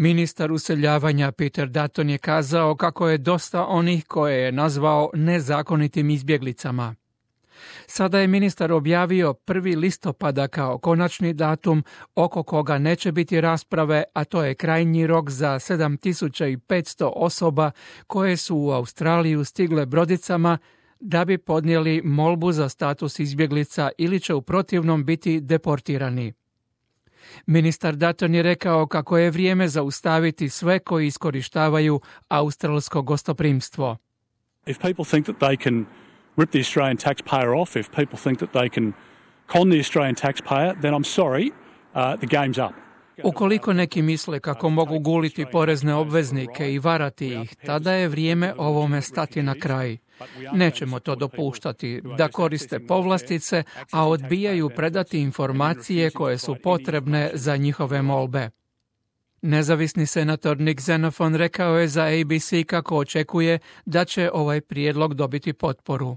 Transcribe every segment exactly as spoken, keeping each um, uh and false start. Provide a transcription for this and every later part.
Ministar useljavanja Peter Dutton je kazao kako je dosta onih koje je nazvao nezakonitim izbjeglicama. Sada je ministar objavio prvi listopada kao konačni datum oko koga neće biti rasprave, a to je krajnji rok za sedam tisuća petsto osoba koje su u Australiju stigle brodicama da bi podnijeli molbu za status izbjeglica ili će u protivnom biti deportirani. Ministar Dutton je rekao kako je vrijeme zaustaviti sve koji iskorištavaju australsko gostoprimstvo. If people think that they can rip the Australian taxpayer off, if people think that they can con the Australian taxpayer, then I'm sorry, uh, the game's up. Ukoliko neki misle kako mogu guliti porezne obveznike i varati ih, tada je vrijeme ovome stati na kraj. Nećemo to dopuštati da koriste povlastice, a odbijaju predati informacije koje su potrebne za njihove molbe. Nezavisni senator Nick Xenophon rekao je za A B C kako očekuje da će ovaj prijedlog dobiti potporu.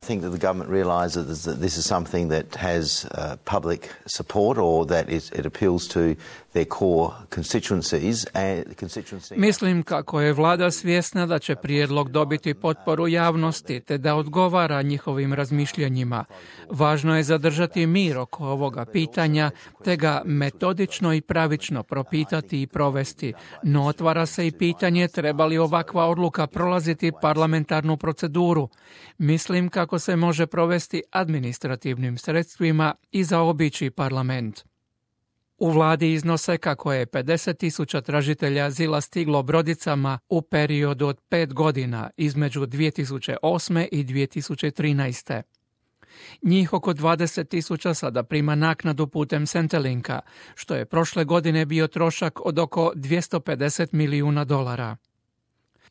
I think that the government realises that this is something that has uh, public support or that it, it appeals to their core constituencies and constituency. Mislim kako je vlada svjesna da će prijedlog dobiti potporu javnosti te da odgovara njihovim razmišljanjima. Važno je zadržati mir oko ovoga pitanja te ga metodično i pravično propitati i provesti, no otvara se i pitanje treba li ovakva odluka prolaziti parlamentarnu proceduru. Mislim kako se može provesti administrativnim sredstvima i zaobići parlament. U vladi iznose kako je pedeset tisuća tražitelja azila stiglo brodicama u periodu od pet godina između dvije tisuće osme i dvije tisuće trinaeste. Njih oko dvadeset tisuća sada prima naknadu putem Centrelinka, što je prošle godine bio trošak od oko dvjesto pedeset milijuna dolara.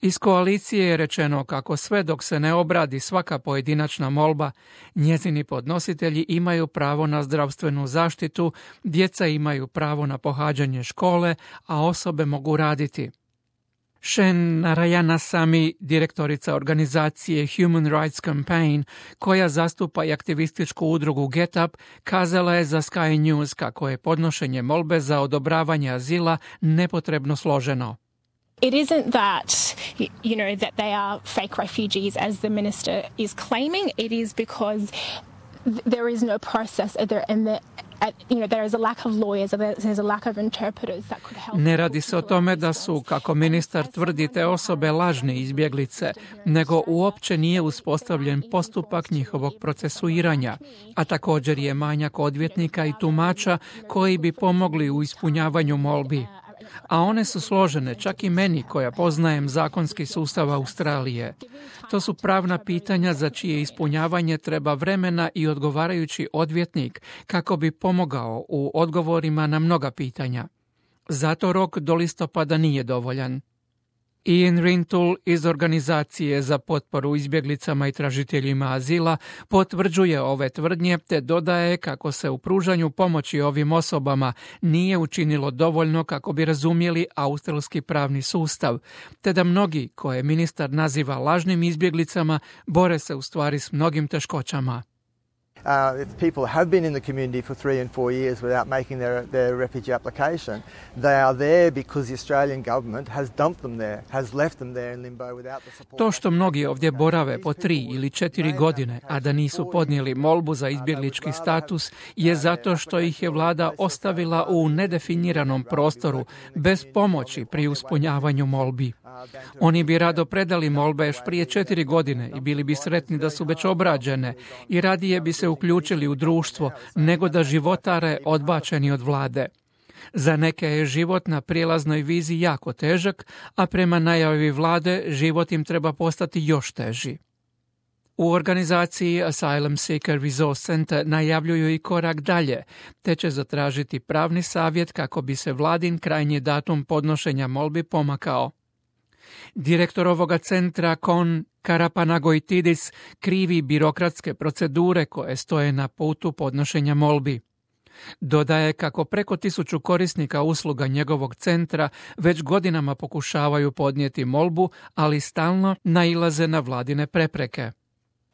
Iz koalicije je rečeno kako sve dok se ne obradi svaka pojedinačna molba, njezini podnositelji imaju pravo na zdravstvenu zaštitu, djeca imaju pravo na pohađanje škole, a osobe mogu raditi. Shen Narayanasamy, direktorica organizacije Human Rights Campaign, koja zastupa i aktivističku udrugu Get Up, kazala je za Sky News kako je podnošenje molbe za odobravanje azila nepotrebno složeno. It isn't that, you know, that they are fake refugees as the minister is claiming. It is because there is no process and the you know, there is a lack of lawyers, there's a lack of interpreters that could help. Ne radi se o tome da su, kako ministar tvrdi, te osobe lažne izbjeglice, nego uopće nije uspostavljen postupak njihovog procesuiranja, a također je manjak odvjetnika i tumača koji bi pomogli u ispunjavanju molbi. A one su složene, čak i meni koja poznajem zakonski sustav Australije. To su pravna pitanja za čije ispunjavanje treba vremena i odgovarajući odvjetnik kako bi pomogao u odgovorima na mnoga pitanja. Zato rok do listopada nije dovoljan. Ian Rintoul iz Organizacije za potporu izbjeglicama i tražiteljima azila potvrđuje ove tvrdnje te dodaje kako se u pružanju pomoći ovim osobama nije učinilo dovoljno kako bi razumjeli australski pravni sustav, te da mnogi, koje ministar naziva lažnim izbjeglicama, bore se u stvari s mnogim teškoćama. Uh, if people have been in the community for three and four years without making their, their refugee application, they are there because the Australian government has dumped them there, has left them there in limbo without the support. To što mnogi ovdje borave po tri ili četiri godine, a da nisu podnijeli molbu za izbjeglički status, je zato što ih je vlada ostavila u nedefiniranom prostoru, bez pomoći pri ispunjavanju molbi. Oni bi rado predali molbe još prije četiri godine i bili bi sretni da su već obrađene i radije bi se uključili u društvo nego da životare odbačeni od vlade. Za neke je život na prijelaznoj vizi jako težak, a prema najavi vlade život im treba postati još teži. U organizaciji Asylum Seeker Resource Center najavljuju i korak dalje, te će zatražiti pravni savjet kako bi se vladin krajnji datum podnošenja molbi pomakao. Direktor ovoga centra, Kon Karapanagoitidis, krivi birokratske procedure koje stoje na putu podnošenja molbi. Dodaje kako preko tisuću korisnika usluga njegovog centra već godinama pokušavaju podnijeti molbu, ali stalno nailaze na vladine prepreke.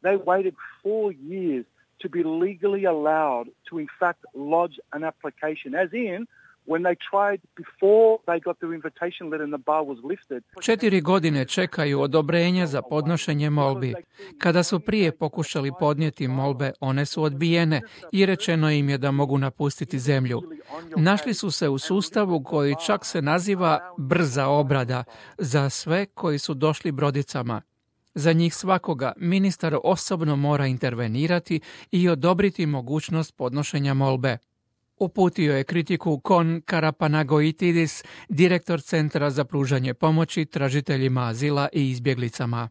They waited four years to be legally allowed to in fact lodge an application, as in When they tried before they got their invitation letter and the bar was lifted. Četiri godine čekaju odobrenje za podnošenje molbi. Kada su prije pokušali podnijeti molbe, one su odbijene i rečeno im je da mogu napustiti zemlju. Našli su se u sustavu koji čak se naziva brza obrada za sve koji su došli brodicama. Za njih svakoga ministar osobno mora intervenirati i odobriti mogućnost podnošenja molbe. Uputio je kritiku Kon Karapanagoitidis, direktor Centra za pružanje pomoći tražiteljima azila i izbjeglicama.